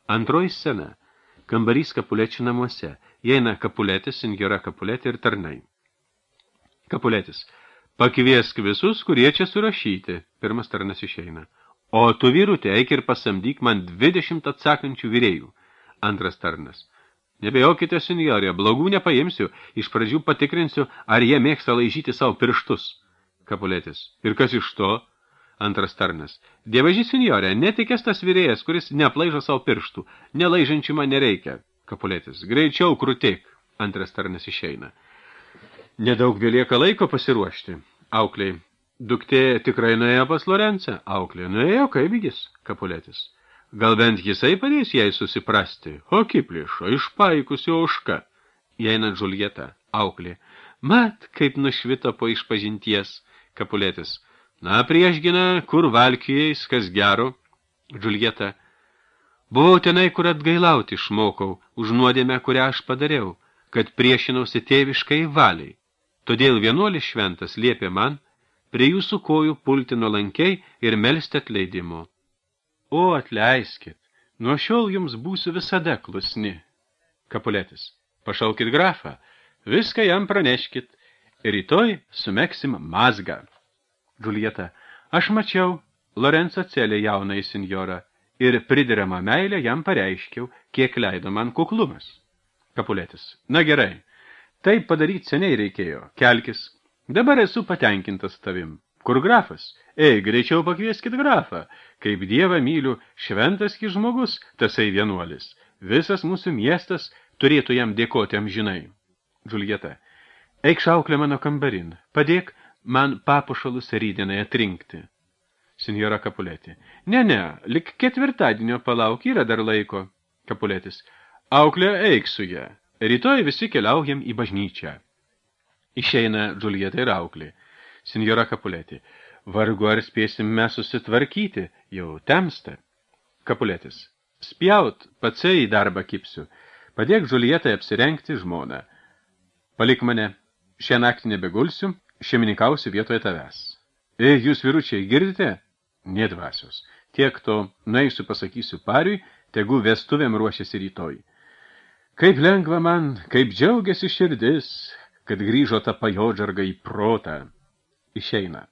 Antroji scena. Kambarys Kapulečių namuose. Įeina Kapuletis, senjora Kapulėtė ir tarnai. Kapuletis. Pakviesk visus, kurie čia surašyti. Pirmas tarnas išeina. O tu, vyrutė, eik ir pasamdyk man 20 atsakančių vyrėjų. Antras tarnas. Nebejokite, senjorė, blogų nepaimsiu. Iš pradžių patikrinsiu, ar jie mėgsta laižyti savo pirštus. Kapuletis. Ir kas iš to? Antras tarnas. Dievaži, senjorė, netikės tas vyrėjas, kuris neaplaižo savo pirštų. Nelaižančių man nereikia. Kapuletis. Greičiau krūtik. Antras tarnas išeina. Nedaug belieka laiko pasiruošti. Aukliai. Duktė tikrai nuėjo pas Lorencą. Auklė. Nuėjo, kaipgis. Kapuletis. Gal bent jisai padės jai susiprasti. O kiplišo, išpaikusi ožka. Įeina Džuljeta. Auklė. Mat, kaip nušvito po išpažinties. Kapuletis. Na, priešgina, kur valkijais, kas gero. Džuljeta. Buvau tenai, kur atgailauti išmokau, už nuodėmę, kurią aš padariau, kad priešinausi tėviškai valiai. Todėl vienuolis šventas liepė man prie jūsų kojų pulti nuolankiai ir melsti atleidimo. O, atleiskit, nuo šiol jums būsiu visada klusni. Kapuletis. Pašaukit grafą, viską jam praneškit, ir rytoj sumeksim mazgą. Džuljeta. Aš mačiau Lorenzo celė jaunai senjorą ir prideramą meilę jam pareiškiau, kiek leido man kuklumas. Kapuletis. Na gerai, taip padaryti seniai reikėjo. Kelkis. Dabar esu patenkintas tavim. Kur grafas? Ei, greičiau pakvieskit grafą. Kaip dievą myliu, šventas ki žmogus, tasai vienuolis. Visas mūsų miestas turėtų jam dėkoti amžinai. Džuljeta. Eik šauklė mano kambarin. Padėk man papušalus rydienai atrinkti. Senjora Kapulėtė. Ne, lik ketvirtadienio palauk, yra dar laiko. Kapuletis. Auklė, eik su ją. Rytoj visi keliaujam į bažnyčią. Išeina Džuljeta ir auklė. Senjora Kapulėtė. Vargu ar spėsim mes susitvarkyti, jau temsta. Kapuletis. Spjaut, patsai į darbą kipsiu. Padėk Džuljetai apsirengti žmoną. Palik mane, šią naktį nebegulsiu, šeimininkausiu vietoje tavęs. Jūs vyručiai, girdite? Nedvasios. Tiek to, nueisiu pasakysiu pariui, tegu vestuvėm ruošiasi rytoj. Kaip lengva man, kaip džiaugiasi širdis, kad grįžo ta pajodžarga į protą. Išeina.